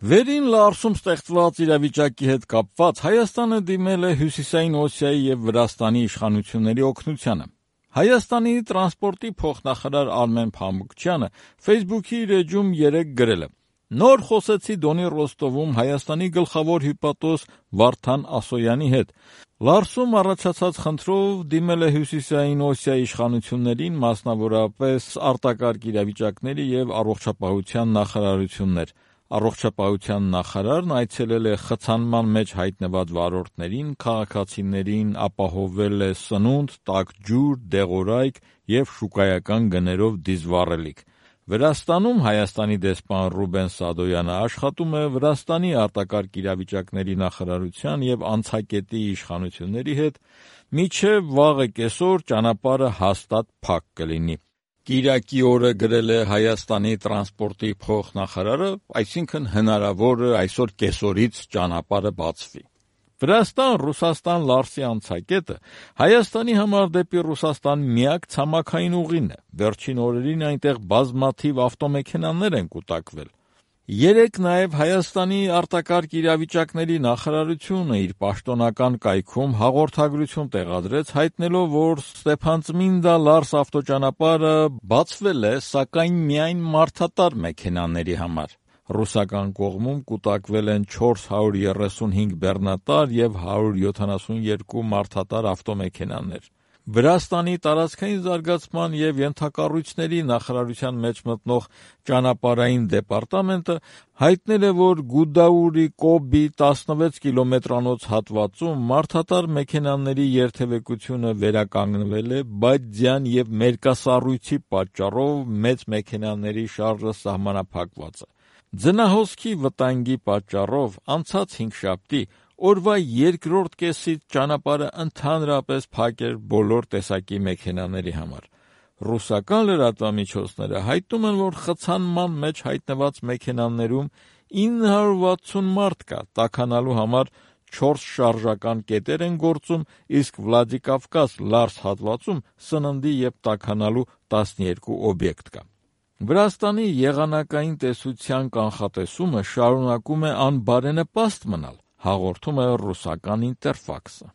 Վերին Լարսում ստեղծված իրավիճակի հետ կապված Հայաստանը դիմել է Հյուսիսային Օսիայի և Վրաստանի իշխանությունների օգնությանը։ Հայաստանի տրանսպորտի փոխնախարար Արմեն Փամոկչյանը Facebook-ի իր էջում 3 գրել է. «Նոր խոսեցի Դոնի Ռոստովում Հայաստանի գլխավոր հյուպատոս Վարդան Ասոյանի հետ։ Լարսում առաջացած խնդրով դիմել է Հյուսիսային Օսիայի իշխանություններին, մասնավորապես արտակարգ իրավիճակների և առողջապահության նախարարություններ։ Առողջապահության նախարարն այցելել է խցանման մեջ հայտնված վարորդներին, քաղաքացիներին ապահովել է սնունդ, տաք ջուր, դեղորայք և շուկայական գներով դիզվառելիք։ Վրաստանում Հայաստանի դեսպան Ռուբեն Սադոյանը աշխատում է Վրաստանի արտակարգ իրավիճակների նախարարության և անցակետի իշխանությունների հետ, մինչև վաղը կեսօր ճանապարհը հաստատ փակ կլինի»։ Կիրակի օրը գրել է Հայաստանի տրանսպորտի փոխնախարարը, այսինքն հնարավոր է այսօր կեսօրից ճանապարհը բացվի։ Վրաստան-Ռուսաստան Լարսի անցակետը Հայաստանի համար դեպի Ռուսաստան միակ ցամաքային ուղին է։ Վերջին օրերին այնտեղ բազմաթիվ ավտոմեքենաներ են կուտակվել։ Երեկ նաև Հայաստանի արտակարգ իրավիճակների նախարարությունը իր պաշտոնական կայքում հաղորդագրություն տեղադրեց, հայտնելով, որ Ստեփանցմինդա-Լարս ավտոճանապարհը բացվել է, սակայն միայն մարդատար մեքենաների համար։ Ռուսական կողմում կուտակվել են 435 բեռնատար և 172 մարդատար ավտոմեքենաներ։ Վրաստանի տարածքային զարգացման և ենթակառույցների նախարարության մեջ մտնող ճանապարհային դեպարտամենտը հայտնել է, որ Գուդաուրի-Կոբի 16 կիլոմետրանոց հատվածում մարդատար մեքենաների երթևեկությունը վերականգնվել է, բայց ձյան և մերկասառույցի պատճառով մեծ մեքենաների շարժը սահմանափակված է։ Ձնահոսքի վտանգի պատճառով անցած հինգշաբթի օրվա երկրորդ կեսից ճանապարհը ընդհանրապես փակ էր բոլոր տեսակի մեքենաների համար։ Ռուսական լրատվամիջոցները հայտնում են, որ խցանման մեջ հայտնված մեքենաներում 960 մարդ կա, տաքանալու համար 4 շարժական կետեր են գործում, իսկ Վլադիկավկազ-Լարս հատվածում սննդի և տաքանալու 12 օբյեկտ կա։ Վրաստանի եղանակային տեսության կանխատեսումը շարունակում է անբարենպաստ մնալ, հաղորդում է ռուսական Ինտերֆաքսը։